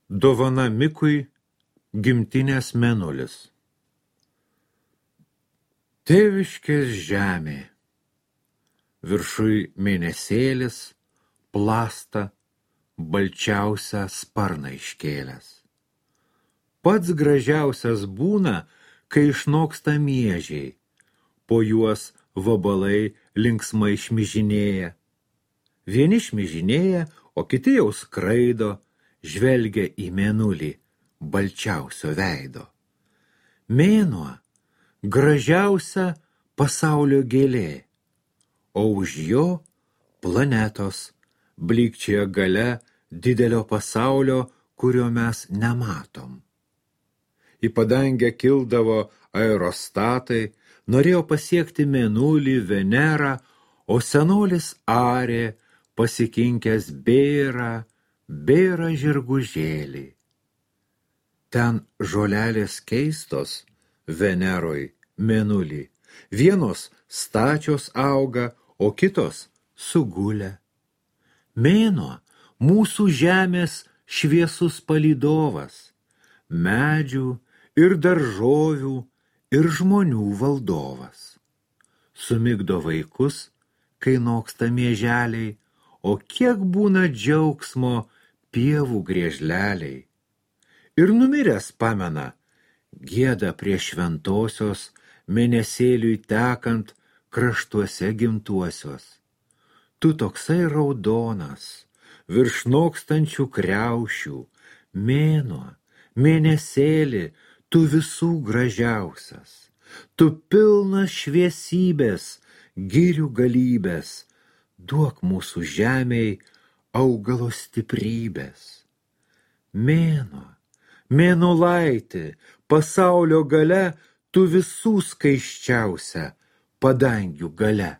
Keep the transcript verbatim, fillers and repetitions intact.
Dovana Mikui gimtinės mėnulis. Tėviškės žemė, viršui mėnesėlis, plasta, balčiausią sparną iškėlęs. Pats gražiausias būna, kai išnoksta miežiai, po juos vabalai linksmai šmižinėja. Vieni šmižinėja, o kiti jau skraido, žvelgia į mėnulį balčiausio veido. Mėnuo gražiausia pasaulio gėlė, o už jo planetos blykčioja gale didelio pasaulio, kurio mes nematom. Į padangę kildavo aerostatai, norėjo pasiekti mėnulį, Venerą, o senolis arė, pasikinkęs bėra, bėra žirgužėlį. Ten žolelės keistos Veneroj, mėnulį, vienos stačios auga, o kitos sugulę. Mėnuo mūsų žemės šviesus palydovas, medžių ir daržovių ir žmonių valdovas. Sumigdo vaikus, kai noksta mieželiai, o kiek būna džiaugsmo pievų griežleliai. Ir numiręs pamena, gieda prie šventosios, mėnesėliui tekant kraštuose gimtuosios. Tu toksai raudonas, virš nokstančių kriaušių, mėnuo, mėnesėli, tu visų gražiausias, tu pilnas šviesybės, girių galybės, duok mūsų žemei augalo stiprybės. Mėnuo, mėnulaiti, pasaulio gale, tu visų skaisčiausia padangių gale.